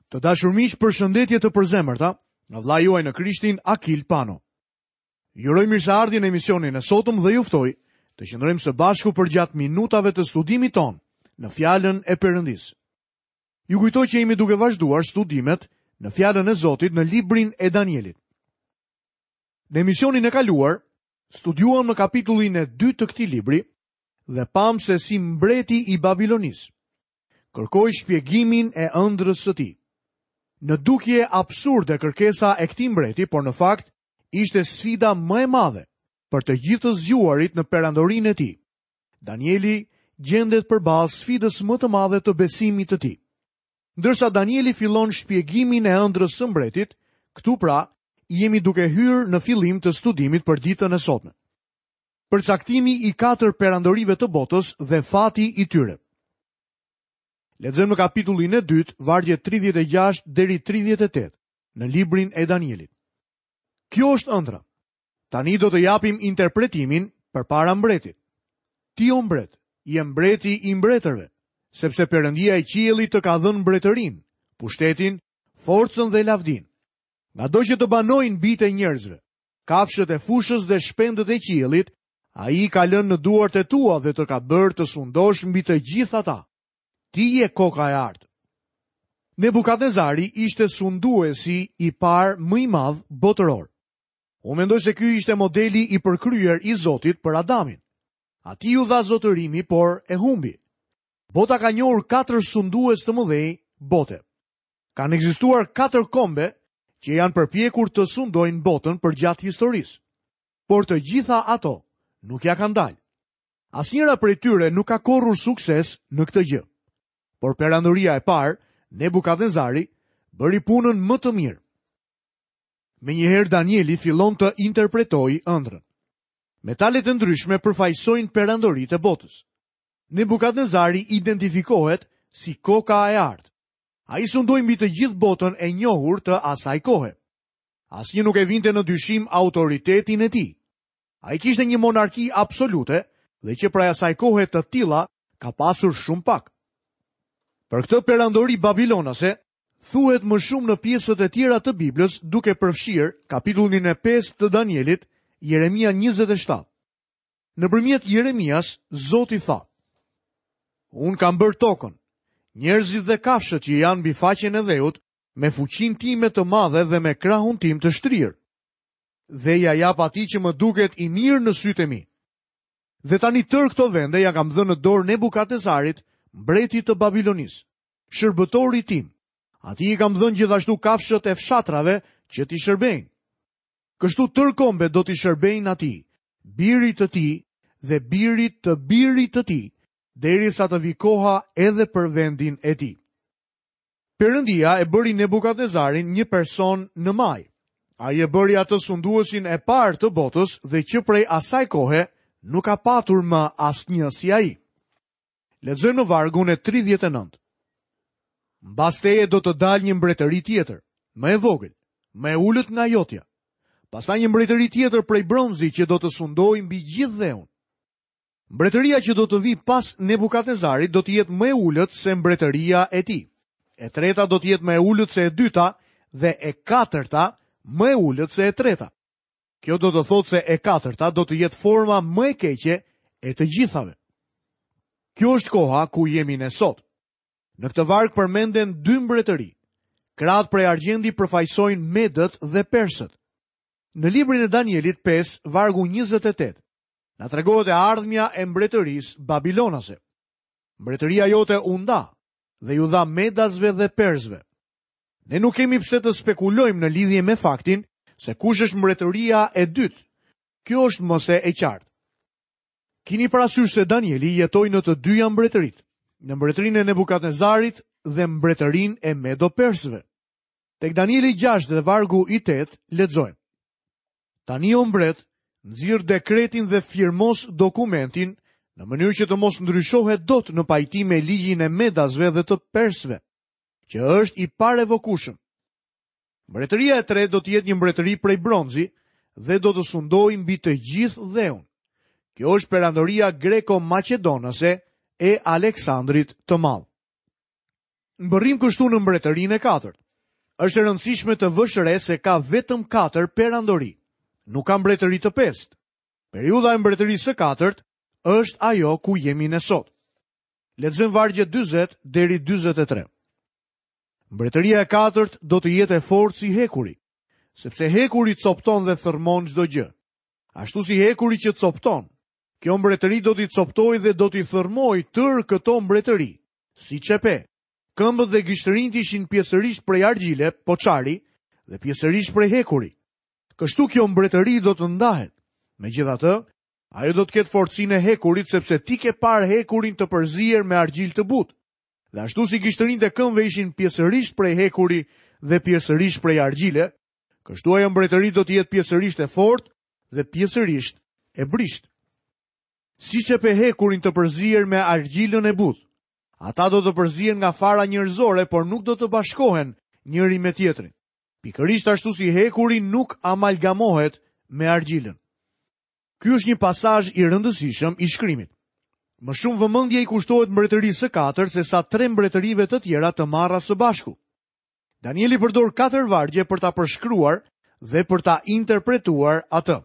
Të dashur miq, përshëndetje të përzemërta nga vëllai juaj në Krishtin Akil Pano. Ju uroj mirëseardhje në emisionin e sotëm dhe ju ftoj të qëndrojmë së bashku përgjatë minutave të studimit tonë në Fjalën e Perëndisë. Ju kujtoj që jemi duke vazhduar studimet në Fjalën e Zotit në librin e Danielit. Në emisionin e kaluar, studiuam në kapitullin e dytë të këtij libri dhe pamë se si mbreti i Babilonisë kërkoi shpjegimin e ëndrrës së tij. Në dukje absurde kërkesa e këtij mbreti, por në fakt ishte sfida më e madhe për të gjithë të zgjuarit në perandorinë e tij. Danieli gjendet përballë sfidës më të madhe të besimit të tij. Ndërsa Danieli fillon shpjegimin e ëndrrës së mbretit, këtu pra jemi duke hyrë në fillim të studimit për ditën e sotme. Përcaktimi i katër perandorive të botës dhe fati i tyre. Lexojmë në kapitullin e dytë, vargjet 36 deri 38 në librin e Danielit. Kjo është ëndrra. Tani do të japim interpretimin përpara mbretit. Ti o mbret, je mbreti i mbretërve, sepse Perëndia i qiellit të ka dhënë mbretërinë, pushtetin, forcën dhe lavdinë. Ngado që të banojnë bijtë e njerëzve, kafshët e fushës dhe shpendët e qiellit, ai i ka lënë në duart e tua dhe të ka bërë të sundosh mbi të gjithë ata. Ti je koka e artë. Nebukadnezari ishte sunduesi i parë më i madh botëror. Unë mendoj se ky ishte modeli i përkryer i Zotit për Adamin. Atij iu dha zotërimi, por e humbi. Bota ka njohur katër sundues të mëdhenj bote. Kanë ekzistuar katër kombe që janë përpjekur të sundojnë botën përgjatë historisë. Por të gjitha ato nuk ia kanë dalë. Asnjëra prej tyre nuk ka korrur sukses në këtë gjë. Por perandoria e parë, Nebukadnezari, bëri punën më të mirë. Menjëherë Danieli fillon të interpretojë ëndrrën. Metalet e ndryshme përfaqësojnë perandoritë e botës. Nebukadnezari identifikohet si koka e artë. Ai sundoi mbi të gjithë botën e njohur të asaj kohe. Asnjë nuk e vinte në dyshim autoritetin e tij. Ai kishte një monarki absolute dhe që prej asaj kohe të tilla ka pasur shumë pak. Për këtë perandori babilonase, thuhet më shumë në pjesët e tjera të Biblës, duke përfshirë kapitullin e 5 të Danielit, Jeremia 27. Nëpërmjet Jeremias, Zoti tha: Unë kam bërë tokën, njerëzit dhe kafshët që janë mbi faqen e dheut, me fuqinë time të madhe dhe me krahun tim të shtrirë. Dhe ia jap atij që më duket i mirë në sytë e mi. Dhe tani tërë këto vende ia kam dhënë në dorë Nebukadnezarit, mbretit të Babilonisë, shërbëtorit tim. Atij i kam dhënë gjithashtu kafshët e fshatrave që t'i shërbejnë. Kështu tërë kombet do t'i shërbejnë atij, birit të tij dhe birit të birit të tij, derisa të vijë koha edhe për vendin e tij. Perëndia e bëri Nebukadnezarin një person në majë. Ai e bëri atë sunduesin e parë të botës dhe që prej asaj kohe nuk ka patur më asnjë si ai. Lexojmë në vargun e 39. Mbas teje do të dalë një mbretëri tjetër, më e vogël, më e ulët nga jotja. Pastaj një mbretëri tjetër prej bronzi që do të sundojë mbi gjithë dheun. Mbretëria që do të vijë pas Nebukadnezarit do të jetë më e ulët se mbretëria e tij. E treta do të jetë më e ulët se e dyta dhe e katërta më e ulët se e treta. Kjo do të thotë se e katërta do të jetë forma më e keqe e të gjithave. Kjo është koha ku jemi ne sot. Në këtë varg përmenden dy mbretëri. Krahët prej argjendi përfaqësojnë medët dhe persët. Në librin e Danielit 5, vargu 28, na tregohet e ardhmja e mbretërisë babilonase. Mbretëria jote u nda dhe iu dha medasve dhe persëve. Ne nuk kemi pse të spekulojmë në lidhje me faktin se kush është mbretëria e dytë. Kjo është më se e qartë. Kini parasysh se Danieli jetoi në të dyja mbretëritë, në mbretërinë e Nebukadnezarit dhe mbretërinë e Medo-Persëve. Tek Danieli 6 dhe vargu i 8 lexojmë. Tani o mbret, nxirr dekretin dhe firmos dokumentin në mënyrë që të mos ndryshohet dot në pajtim me ligjin e Medasve dhe të Persëve, që është i parevokueshëm. Mbretëria e tretë do të jetë një mbretëri prej bronzi dhe do të sundojë mbi të gjithë dheun. Kjo është perandoria greko-maqedonase e Aleksandrit të Madh. Mbërrijmë kështu në mbretërinë e katërt. Është e rëndësishme të vësh re se ka vetëm katër perandori. Nuk ka mbretëri të pestë. Periudha e mbretërisë së katërt është ajo ku jemi ne sot. Lexojmë vargjet 40 deri 43. Mbretëria e katërt do të jetë e fortë si hekuri, sepse hekuri copëton dhe thërrmon çdo gjë. Ashtu si hekuri që copëton, kjo mbretëri do t'i copëtojë dhe do t'i thërrmojë tërë këto mbretëri, siç e pe. Këmbët dhe gishtërinjtë ishin pjesërisht prej argjile, poçari, dhe pjesërisht prej hekuri. Kështu kjo mbretëri do të ndahet. Megjithatë, ajo do të ketë forcinë e hekurit sepse ti ke parë hekurin të përzier me argjilë të butë. Dhe ashtu si gishtërinjtë e këmbëve ishin pjesërisht prej hekuri dhe pjesërisht prej argjile, kështu ajo mbretëri do të jetë pjesërisht e fortë dhe pjesërisht e brishtë. Siç e pe hekurin të përzier me argjilën e butë. Ata do të përzihen nga fara njerëzore, por nuk do të bashkohen njëri me tjetrin. Pikërisht ashtu si hekuri nuk amalgamohet me argjilën. Ky është një pasazh i rëndësishëm i shkrimit. Më shumë vëmendje i kushtohet mbretërisë së katërt sesa tre mbretërive të tjera të marra së bashku. Danieli përdor katër vargje për ta përshkruar dhe për ta interpretuar atë.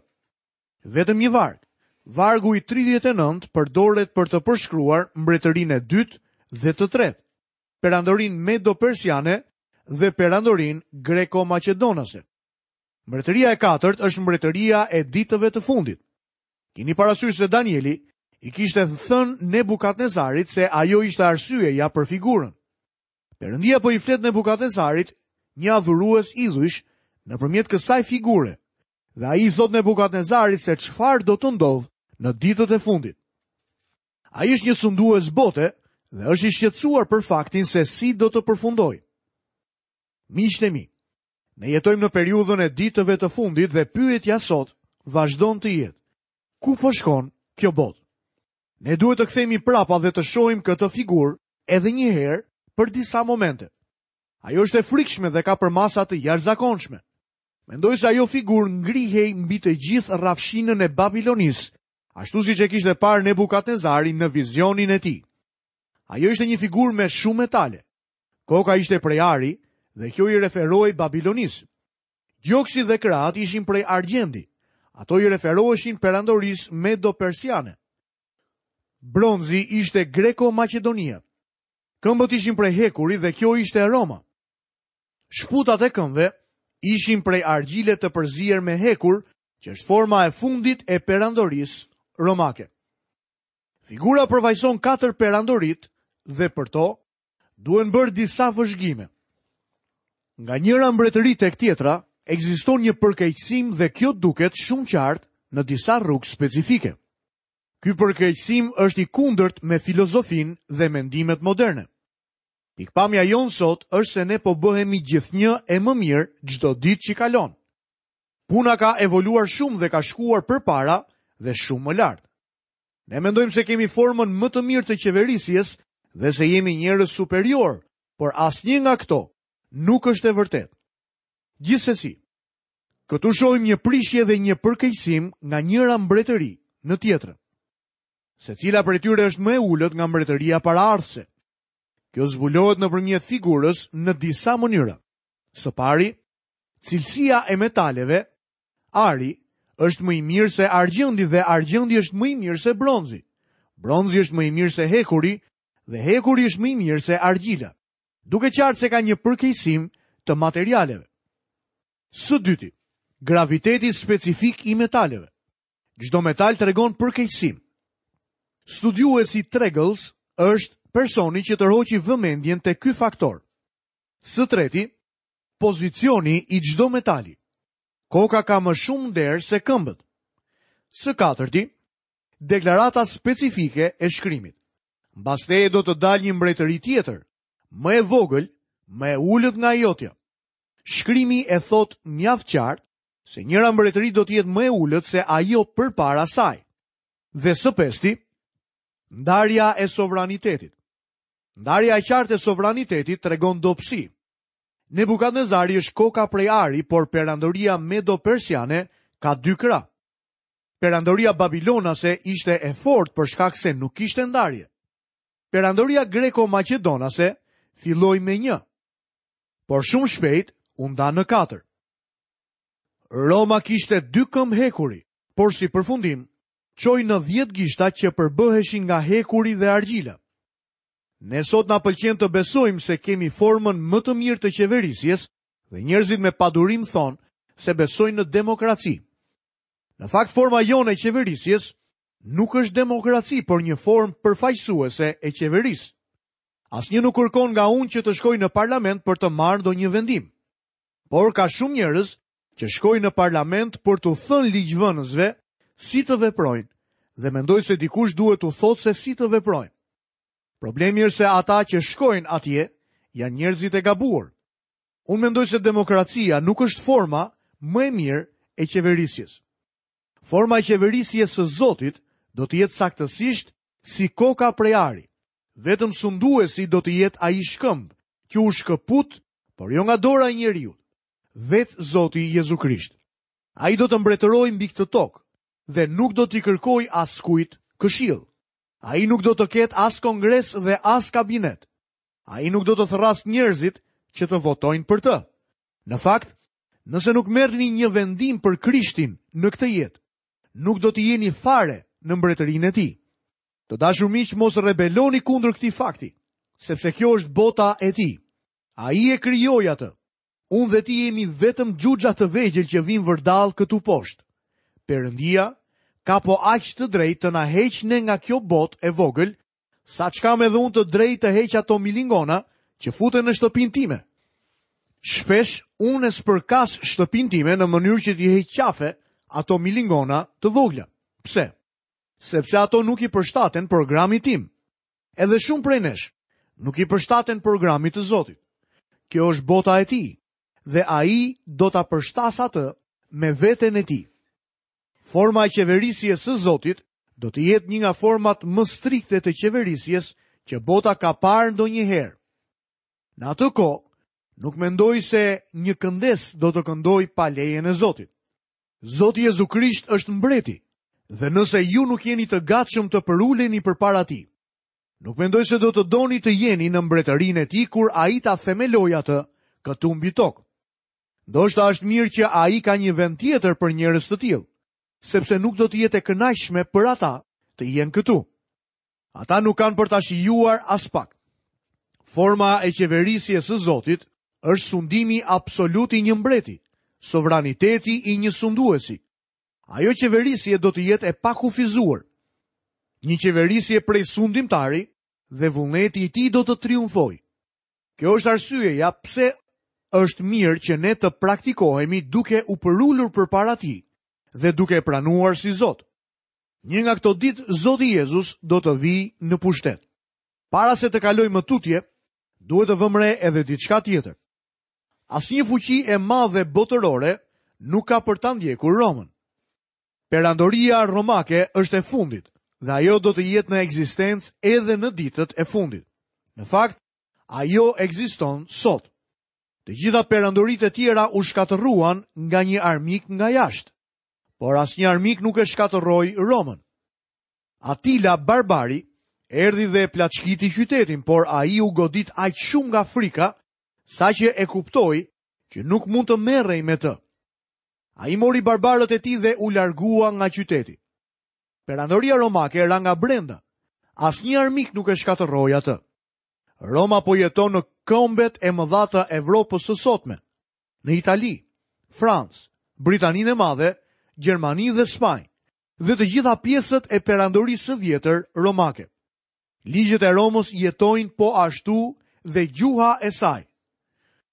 Vetëm një varg, vargu i 39 përdoret për të përshkruar mbretërinë e dytë dhe të tretë, perandorinë medo-persiane dhe perandorinë greko-maqedonase. Mbretëria e katërt është mbretëria e ditëve të fundit. Kini parasysh se Danieli i kishte thënë Nebukadnezarit se ajo ishte arsyeja për figurën. Perëndia po i flet Nebukadnezarit, një adhurues idhujsh, nëpërmjet kësaj figure, Dhe ai i thotë Nebukadnezarit se çfarë do të ndodhë në ditët e fundit. Ai është një sundues bote dhe është i shqetësuar për faktin se si do të përfundojë. Miqtë e mi, ne jetojmë në periudhën e ditëve të fundit dhe pyetja sot vazhdon të jetë: ku po shkon kjo botë? Ne duhet të kthehemi prapa dhe të shohim këtë figurë edhe një herë për disa momente. Ajo është e frikshme dhe ka përmasa të jashtëzakonshme. Mendoj se ajo figurë ngrihej mbi të gjithë rrafshinën e Babilonisë, ashtu siç e kishte parë Nebukadnezari në vizionin e tij. Ajo ishte një figurë me shumë metale. Koka ishte prej ari dhe kjo i referohej Babilonisë. Gjoksi dhe krahët ishin prej argjendi. Ato i referoheshin perandorisë medo-persiane. Bronzi ishte greko-maqedonia. Këmbët ishin prej hekuri dhe kjo ishte Roma. Shputat e këmbëve ishin prej argjile të përzier me hekur, që është forma e fundit e perandorisë romake. Figura përfaqëson katër perandoritë dhe për to duhen bërë disa vëzhgime. Nga njëra mbretëri tek tjetra ekziston një përkeqësim dhe kjo duket shumë qartë në disa rrugë specifike. Ky përkeqësim është i kundërt me filozofinë dhe mendimet moderne. Pikëpamja jonë sot është se ne po bëhemi gjithnjë e më mirë çdo ditë që kalon. Puna ka evoluar shumë dhe ka shkuar përpara dhe shumë më lart. Ne mendojmë se kemi formën më të mirë të qeverisjes dhe se jemi njerëz superiorë, por asnjë nga këto nuk është e vërtetë. Gjithsesi, këtu shohim një prishje dhe një përkeqësim nga njëra mbretëri në tjetrën. Secila prej tyre është më e ulët nga mbretëria paraardhëse. Kjo zbulohet nëpërmjet figurës në disa mënyra. Së pari, cilësia e metaleve, ari, është më i mirë se argjendi dhe argjendi është më i mirë se bronzi. Bronzi është më i mirë se hekuri dhe hekuri është më i mirë se argjila. Duket qartë se ka një përkeqësim të materialeve. Së dyti, graviteti specifik i metaleve. Çdo metal tregon përkeqësim. Studiuesi Tregelles është personi që tërhoqi vëmendjen te ky faktor. Së treti, pozicioni i çdo metali. Koka ka më shumë nder se këmbët. Së katërti, deklarata specifike e shkrimit. Mbas teje do të dalë një mbretëri tjetër, më e vogël, më e ulët nga e jotja. Shkrimi e thotë mjaft qartë se njëra mbretëri do të jetë më e ulët se ajo përpara saj. Dhe së pesti, ndarja e sovranitetit. Ndarja e qartë e sovranitetit tregon dobësi. Nebukadnezari është koka prej ari, por perandoria medo-persiane ka dy krahë. Perandoria babilonase ishte e fortë për shkak se nuk kishte ndarje. Perandoria greko-maqedonase filloi me një, por shumë shpejt u nda në katër. Roma kishte dy këmbë hekuri, por si përfundim, çoi në 10 gishta që përbëheshin nga hekuri dhe argjila. Ne sot na pëlqen të besojmë se kemi formën më të mirë të qeverisjes dhe njerëzit me padurim thonë se besojnë në demokraci. Në fakt forma jonë e qeverisjes nuk është demokraci, por një formë përfaqësuese e qeverisë. Asnjë nuk kërkon nga unë që të shkoj në parlament për të marrë ndonjë vendim. Por ka shumë njerëz që shkojnë në parlament për t'u thënë ligjvënësve si të veprojnë dhe mendoj se dikush duhet t'u thotë se si të veprojnë. Problemi është se ata që shkojnë atje janë njerëzit e gabuar. Unë mendoj se demokracia nuk është forma më e mirë e qeverisjes. Forma e qeverisjes së Zotit do të jetë saktësisht si koka prej ari. Vetëm sunduesi do të jetë ai shkëmb që u shkëput, por jo nga dora e njeriut. Vetë Zoti Jezu Krisht. Ai do të mbretërojë mbi këtë tokë dhe nuk do t'i kërkojë askujt këshillë. Ai nuk do të ketë as kongres dhe as kabinet. Ai nuk do të thërrasë njerëzit që të votojnë për të. Në fakt, nëse nuk merrni një vendim për Krishtin në këtë jetë, nuk do të jeni fare në mbretërinë e tij. Të dashur miq, mos rebeloni kundër këtij fakti, sepse kjo është bota e tij. Ai e krijoi atë. Unë dhe ti jemi vetëm xhuxha të vegjël që vijmë vërdallë këtu poshtë. Perëndia ka po aq të drejtë të na heqë ne nga kjo botë e vogël, sa ç'kam edhe unë të drejtë të heq ato milingona që futen në shtëpinë time. Shpesh unë e spërkas shtëpinë time në mënyrë që t'i heq qafe ato milingona të vogla. Pse? Sepse ato nuk i përshtaten programit tim. Edhe shumë prej nesh nuk i përshtaten programit të Zotit. Kjo është bota e tij dhe ai do ta përshtasë atë me veten e tij. Forma e qeverisjes së Zotit do të jetë një nga format më strikte të qeverisjes që bota ka parë ndonjëherë. Në atë kohë, nuk mendoj se një këndes do të këndojë pa lejen e Zotit. Zoti Jezu Krisht është mbreti dhe nëse ju nuk jeni të gatshëm të përuleni përpara tij, nuk mendoj se do të doni të jeni në mbretërinë e tij kur ai ta themelojë atë këtu mbi tokë. Ndoshta është mirë që ai ka një vend tjetër për njerëz të tillë, sepse nuk do të jetë e kënaqshme për ata të jenë këtu. Ata nuk kanë për ta shijuar aspak. Forma e qeverisjes së Zotit është sundimi absolut i një mbreti, sovraniteti i një sunduesi. Ajo qeverisje do të jetë e pakufizuar. Një qeverisje prej sundimtari dhe vullneti i tij do të triumfojë. Kjo është arsyeja pse është mirë që ne të praktikohemi duke u përulur përpara tij dhe duke e pranuar si Zot. Një nga këto ditë Zoti Jezus do të vijë në pushtet. Para se të kalojmë më tutje, duhet të vëmë re edhe diçka tjetër. Asnjë fuqi e madhe botërore nuk ka për ta ndjekur Romën. Perandoria romake është e fundit dhe ajo do të jetë në ekzistencë edhe në ditët e fundit. Në fakt, ajo ekziston sot. Të gjitha perandoritë e tjera u shkatërruan nga një armik nga jashtë. Por asnjë armik nuk e shkatërroi Romën. Atila barbari erdhi dhe e plaçkiti qytetin, por ai u godit aq shumë nga frika, saqë e kuptoi që nuk mund të merrej me të. Ai mori barbarët e tij dhe u largua nga qyteti. Perandoria romake ra nga brenda. Asnjë armik nuk e shkatërroi atë. Roma po jeton në kombet e mëdha të Evropës së sotme. Në Itali, Francë, Britaninë e Madhe, Gjermani dhe Spanjë, dhe të gjitha pjesët e perandorisë së vjetër romake. Ligjet e Romës jetojnë po ashtu dhe gjuha e saj.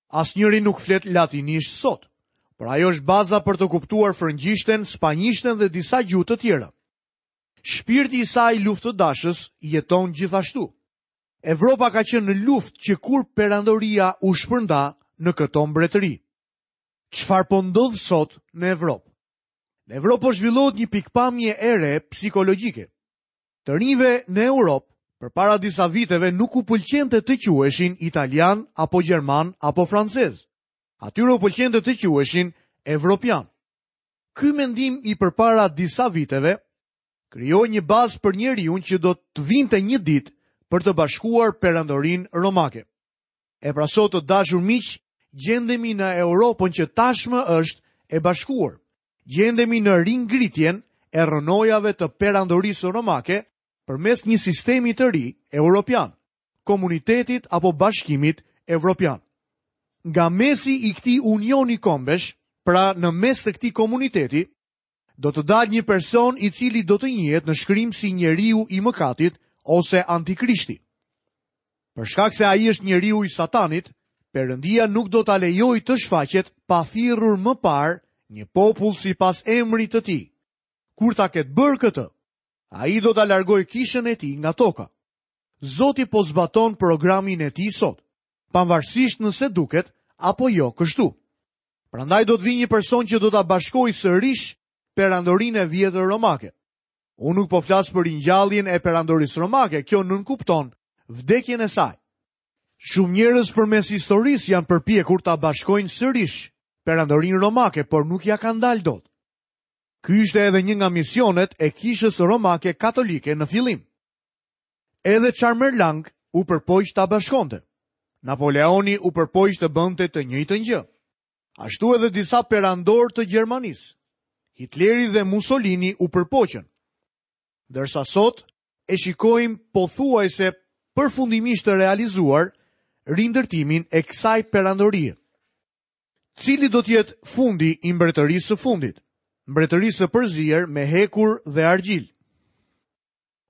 Asnjëri nuk flet latinisht sot, por ajo është baza për të kuptuar frëngjishten, spanjishten dhe disa gjuhë të tjera. Shpirti i saj luftëdashës jeton gjithashtu. Evropa ka qenë në luftë që kur perandoria u shpërnda në këto mbretëri. Çfarë po ndodh sot në Evropë? Në Evropë po zhvillohet një pikëpamje e re psikologjike. Të rinjve në Europë, përpara disa viteve nuk u pëlqente të quheshin italianë apo gjermanë apo francezë. Atyre u pëlqente të quheshin evropianë. Ky mendim i përpara disa viteve krijoi një bazë për njeriun që do të vinte një ditë për të bashkuar perandorinë romake. E pra sot të dashur miq, gjendemi në Europën që tashmë është e bashkuar. Gjendemi në ringritjen e rrënojave të perandorisë romake përmes një sistemi të ri europian, komunitetit apo bashkimit evropian. Nga mesi i këtij unioni kombesh, pra në mes të këtij komuniteti, do të dalë një person i cili do të njihet në shkrim si njeriu i mëkatit ose antikrishti. Për shkak se ai është njeriu i Satanit, Perëndia nuk do ta lejojë të shfaqet pa thirrur më parë një popull sipas emrit të tij. Kur ta ketë bërë këtë, ai do ta largojë kishën e tij nga toka. Zoti po zbaton programin e tij sot, pavarësisht nëse duket apo jo kështu. Prandaj do të vijë një person që do ta bashkojë sërish perandorinë e vjetër romake. Unë nuk po flas për ringjalljen e perandorisë romake, kjo nënkupton vdekjen e saj. Shumë njerëz përmes historisë janë përpjekur ta bashkojnë sërish perandorinë romake, por nuk ia kanë dalë dot. Ky ishte edhe një nga misionet e kishës romake katolike në fillim. Edhe Charmerlang u përpoq ta bashkonte. Napoleoni u përpoq të bënte të njëjtën gjë. Ashtu edhe disa perandorë të Gjermanisë. Hitleri dhe Mussolini u përpoqën. Ndërsa sot e shikojmë pothuajse përfundimisht të realizuar rindërtimin e kësaj perandorie. Cili do të jetë fundi i mbretërisë së fundit? Mbretërisë së përzier me hekur dhe argjilë.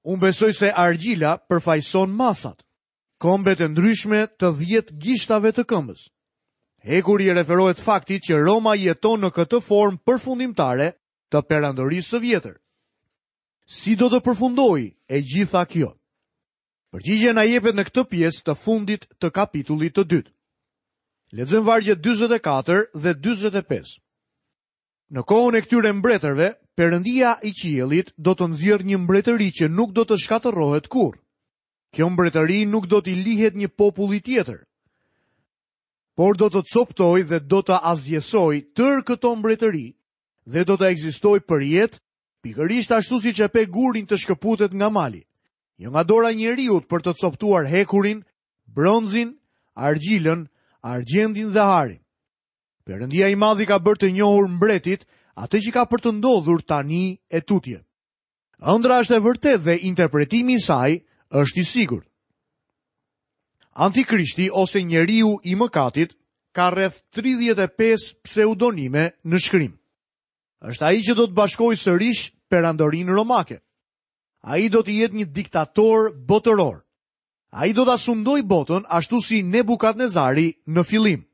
Unë besoj se argjila përfaqëson masat. Kombet e ndryshme të 10 gishtave të këmbës. Hekuri i referohet faktit që Roma jeton në këtë formë përfundimtare të perandorisë së vjetër. Si do të përfundojë e gjitha kjo? Përgjigja na jepet në këtë pjesë të fundit të kapitullit të dytë. Lexojmë vargjet 44 dhe 45. Në kohën e këtyre mbretërve, Perëndia i qiellit do të nxjerrë një mbretëri që nuk do të shkatërrohet kurrë. Kjo mbretëri nuk do t'i lihet një populli tjetër, por do të copëtojë dhe do të asgjësojë tërë këto mbretëri dhe do të ekzistojë përjetë, pikërisht ashtu siç e pe gurin të shkëputet nga mali. Jo nga dora e njeriut për të copëtuar hekurin, bronzin, argjilën, argjendin dhe arin. Perëndia i madh i ka bërë të njohur mbretit atë që ka për të ndodhur tani e tutje. Ëndrra është e vërtetë dhe interpretimi i saj është i sigurt. Antikrishti ose njeriu i mëkatit ka rreth 35 pseudonime në shkrim. Është ai që do të bashkojë sërish perandorinë romake. Ai do të jetë një diktator botëror. Ai do ta sundojë botën ashtu si Nebukadnezari në fillim.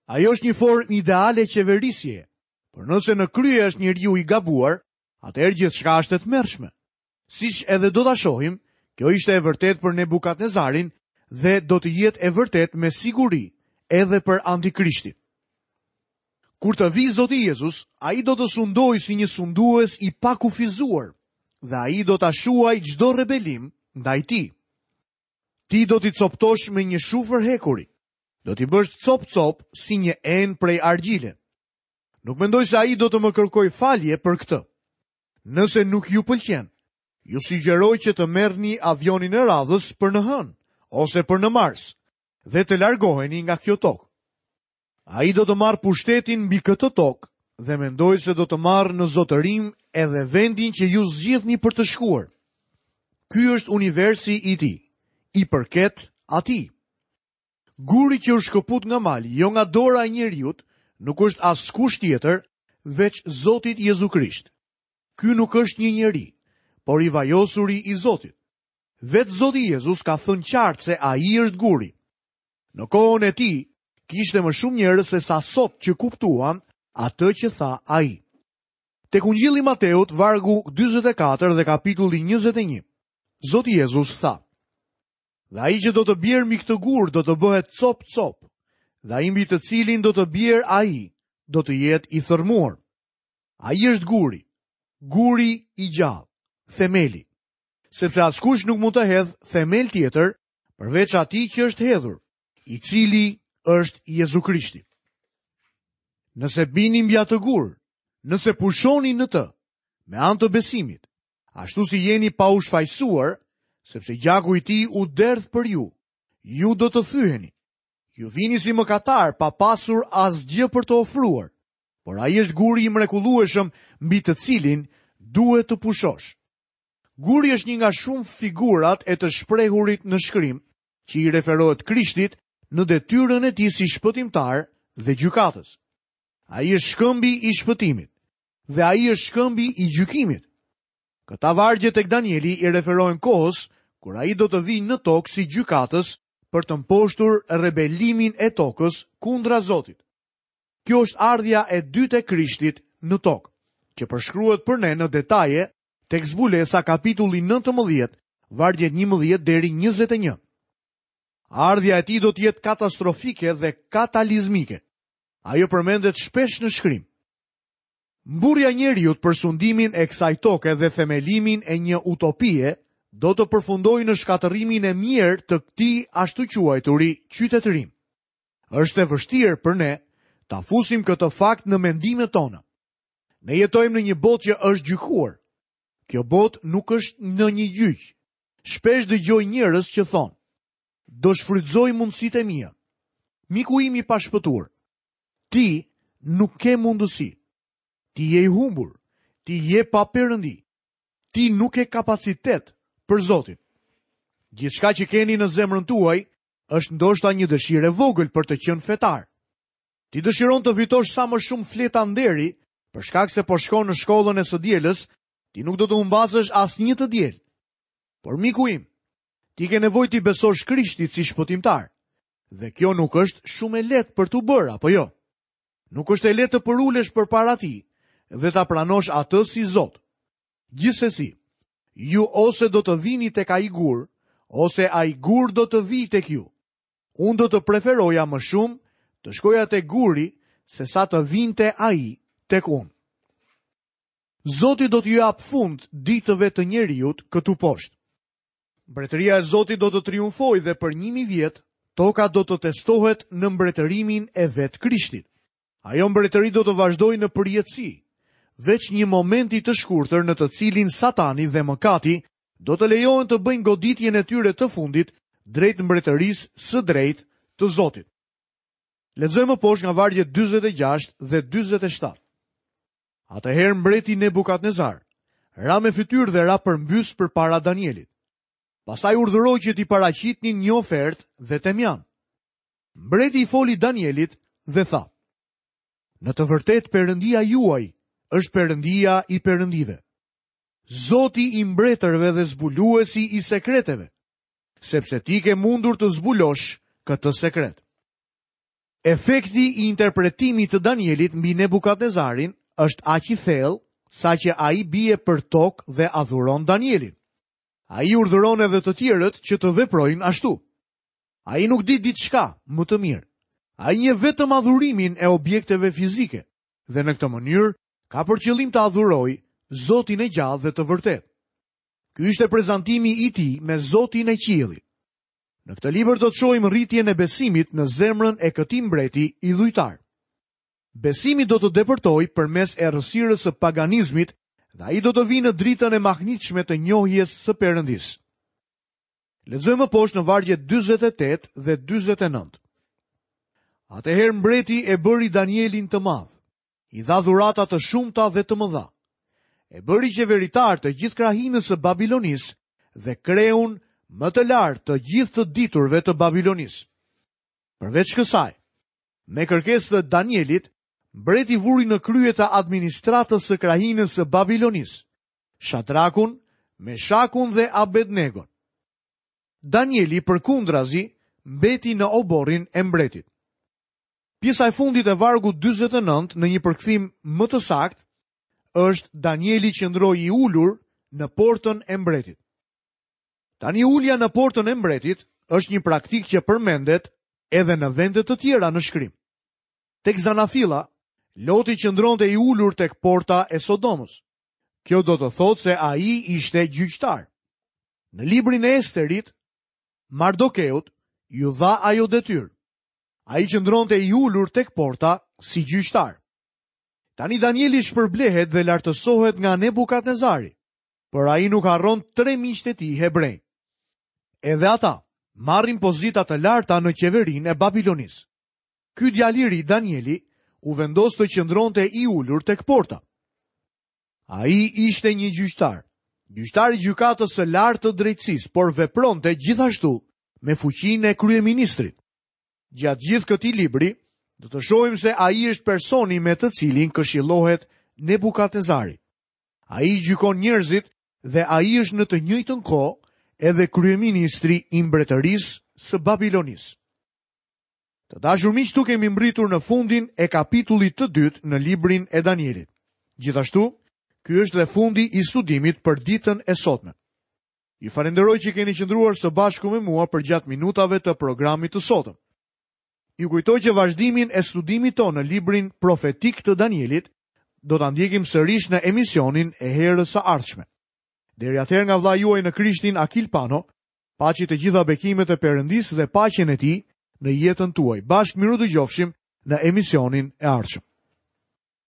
Ajo është një formë ideale qeverisjeje, por nëse në krye është njeriu i gabuar, atëherë gjithçka është e tmerrshme. Siç edhe do ta shohim, kjo ishte e vërtetë për Nebukadnezarin dhe do të jetë e vërtetë me siguri edhe për Antikrishtin. Kur të vijë Zoti Jezus, ai do të sundojë si një sundues i pakufizuar dhe ai do ta shuajë çdo rebelim ndaj tij. Ti do t'i copëtosh me një shufër hekuri. Do t'i bësh copë-copë si një enë prej argjile. Nuk mendoj se ai do të më kërkojë falje për këtë. Nëse nuk ju pëlqen, ju sugjeroj që të merrni avionin e radhës për në hënë ose për në Mars dhe të largoheni nga kjo tokë. Ai do të marrë pushtetin mbi këtë tokë dhe mendoj se do të marrë në zotërim edhe vendin që ju zgjidhni për të shkuar. Ky është universi i tij, i përket atij. Guri që u shkëput nga mali, jo nga dora e njeriut, nuk është askush tjetër veç Zotit Jezu Krisht. Ky nuk është një njeri, por i vajosuri i Zotit. Vetë Zoti Jezus ka thënë qartë se ai është guri. Në kohën e tij, kishte më shumë njerëz se sa sot që kuptuan atë që tha ai. Tek Ungjilli i Mateut, vargu 44 dhe kapitulli 21, Zoti Jezus tha: Dhe ai që do të bjerë mbi këtë gur do të bëhet copë-copë, dhe ai mbi të cilin do të bjerë ai do të jetë i thërrmuar. Ai është guri, guri i gjallë, themeli. Sepse askush nuk mund të hedhë themel tjetër përveç atij që është hedhur, i cili është Jezu Krishti. Nëse bini mbi atë gur, nëse pushoni në të, me anë të besimit, ashtu si jeni pa u shfajësuar, sepse gjaku i tij u derdh për ju, Ju do të thyheni. Ju vini si mëkatarë pa pasur asgjë për të ofruar, por ai është guri i mrekullueshëm mbi të cilin duhet të pushosh. Guri është një nga shumë figurat e të shprehurit në shkrim, që i referohet Krishtit në detyrën e tij si shpëtimtar dhe gjykatës. Ai është shkëmbi i shpëtimit dhe ai është shkëmbi i gjykimit. Këta vargje tek Danieli i referohen kohës kur ai do të vijë në tokë si gjykatës për të mposhtur rebelimin e tokës kundra Zotit. Kjo është ardhja e dytë e Krishtit në tokë, që përshkruhet për ne në detaje tek Zbulesa kapitulli 19, vargjet 11 deri 21. Ardhja e tij do të jetë katastrofike dhe katalizmike. Ajo përmendet shpesh në shkrim. Mburrja e njeriut për sundimin e kësaj toke dhe themelimin e një utopie do të përfundojë në shkatërrimin e mjerë të këtij ashtuquajturi qytetërim. Është e vështirë për ne ta fusim këtë fakt në mendimet tona. Ne jetojmë në një botë që është gjykuar. Kjo botë nuk është në një gjyq. Shpesh dëgjoj njerëz që thonë, do shfrytëzoj mundësitë e mia. Miku im i pashpëtuar, Ti nuk ke mundësi. Ti je i humbur. Ti je pa perëndi. Ti nuk ke kapacitet për Zotin. Gjithçka që keni në zemrën tuaj është ndoshta një dëshirë e vogël për të qenë fetar. Ti dëshiron të fitosh sa më shumë fleta nderi, për shkak se po shkon në shkollën e së dielës, ti nuk do të humbasësh asnjë të diel. Por miku im, ti ke nevojë t'i besosh Krishtit si shpëtimtar. Dhe kjo nuk është shumë e lehtë për t'u bërë, apo jo? Nuk është e lehtë të përulesh përpara tij dhe ta pranosh atë si Zot. Gjithsesi, ju ose do të vini tek ai gur, ose ai gur do të vijë tek ju. Unë do të preferoja më shumë të shkoja tek guri sesa të vinte ai tek unë. Zoti do t'u japë fund ditëve të njeriut këtu poshtë. Mbretëria e Zotit do të triumfojë dhe për 1000 vjet toka do të testohet në mbretërimin e vetë Krishtit. Ajo mbretëri do të vazhdojë në përjetësi, veç një momenti të shkurtër në të cilin Satani dhe mëkati do të lejohen të bëjnë goditjen e tyre të fundit drejt mbretërisë së drejtë të Zotit. Lexojmë më poshtë nga vargjet 46 dhe 47. Atëherë mbreti Nebukadnezar ra me fytyrë dhe ra përmbys përpara Danielit. Pastaj urdhëroi që t'i paraqitnin një ofertë dhe temjan. Mbreti i foli Danielit dhe tha: Në të vërtetë Perëndia juaj është Perëndia i perëndive, Zoti i mbretërve dhe zbuluesi i sekreteve, sepse ti ke mundur të zbulosh këtë sekret. Efekti i interpretimit të Danielit mbi Nebukadnezarin është aq i thellë saqë ai bie për tokë dhe adhuron Danielin. Ai urdhëron edhe të tjerët që të veprojnë ashtu. Ai nuk di diçka më të mirë. Ai njeh vetëm adhurimin e objekteve fizike dhe në këtë mënyrë ka për qëllim të adhurojë Zotin e gjallë dhe të vërtetë. Ky ishte prezantimi i tij me Zotin e qiellit. Në këtë libër do të shohim rritjen e besimit në zemrën e këtij mbreti idhujtar. Besimi do të depërtojë përmes errësirës së paganizmit dhe ai do të vijë në dritën e mahnitshme të njohjes së Perëndisë. Lexojmë më poshtë në vargjet 48 dhe 49. Atëherë mbreti e bëri Danielin të madh. I dha dhurata të shumta dhe të mëdha. E bëri qeveritar të gjithë krahinës së Babilonisë dhe kreun më të lartë të gjithë të diturve të Babilonisë. Përveç kësaj, me kërkesë të Danielit, mbreti vuri në krye të administratës së krahinës së Babilonisë, Shadrakun, Meshakun dhe Abednegon. Danieli përkundrazi mbeti në oborrin e mbretit. Pjesa e fundit e vargut 49 në një përkthim më të saktë është Danieli qëndroi i ulur në portën e mbretit. Tani ulja në portën e mbretit është një praktikë që përmendet edhe në vende të tjera në shkrim. Tek Zanafilla, Loti qëndronte i ulur tek porta e Sodomës. Kjo do të thotë se ai ishte gjyqtar. Në librin e Esterit, Mardokeut iu dha ajo detyrë. Ai qëndronte i ulur tek porta si gjyqtar. Tani Danieli shpërblehet dhe lartësohet nga Nebukadnezari, por ai nuk harron tre miqtë e tij hebrenj. Edhe ata. marrin pozita të larta në qeverinë e Babilonisë. Ky djalë i ri Danieli u vendos të qëndronte i ulur tek porta. Ai ishte një gjyqtar, gjyqtar i gjykatës së lartë të drejtësisë, por vepronte gjithashtu me fuqinë e kryeministrit. Gjatë gjithë këtij libri, do të shohim se ai është personi me të cilin këshillohet Nebukadnezari. Ai gjykon njerëzit dhe ai është në të njëjtën kohë edhe kryeministri i mbretërisë së Babilonisë. Të dashur miq, këtu kemi mbërritur në fundin e kapitullit të dytë në librin e Danielit. Gjithashtu, ky është dhe fundi i studimit për ditën e sotme. Ju falenderoj që keni qëndruar së bashku me mua përgjatë minutave të programit të sotëm. Ju kujtoj që vazhdimin e studimit tonë në librin profetik të Danielit do ta ndjekim sërish në emisionin e herës së ardhshme. Deri atëherë nga vëllai juaj në Krishtin Akil Pano, paçi të gjitha bekimet e Perëndisë dhe paqen e tij në jetën tuaj. Bashkë mirudëgjofshim në emisionin e ardhshëm.